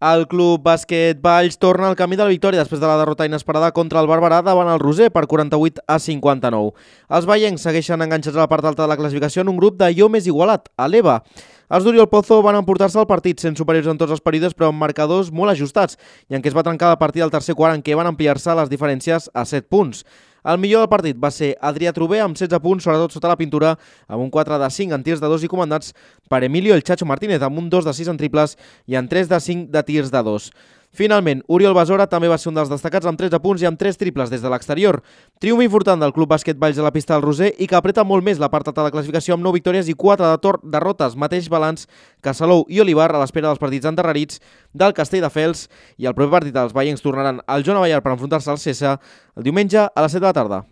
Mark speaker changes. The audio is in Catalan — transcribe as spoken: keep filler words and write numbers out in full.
Speaker 1: El Club Bàsquet Valls torna al camí de la victòria després de la derrota inesperada contra el Barberà davant el Roser per quaranta-vuit a cinquanta-nou. Els veiencs segueixen enganxats a la part alta de la classificació en un grup d'allò més igualat, a l'E V A. Els d'Oriol Pozo van emportar-se el partit sent superiors en tots els períodes però amb marcadors molt ajustats i en què es va trencar la partida al tercer quart en què van ampliar-se les diferències a set punts. El millor del partit va ser Adrià Trober amb setze punts, sobretot sota la pintura, amb un quatre de cinc en tirs de dos i comandats per Emilio el Chacho Martínez amb un dos de sis en triples i en tres de cinc de tirs de dos. Finalment, Oriol Besora també va ser un dels destacats amb tretze punts i amb tres triples des de l'exterior. Triomf important del Club Bàsquet Valls a la pista del Roser i que apreta molt més la part alta de la classificació amb nou victòries i quatre derrotes, mateix balanç que Salou i Olivar a l'espera dels partits endarrerits del Castelldefels, i el proper partit els veiencs tornaran al Joan Abellar per enfrontar-se al Cessa el diumenge a les set de la tarda.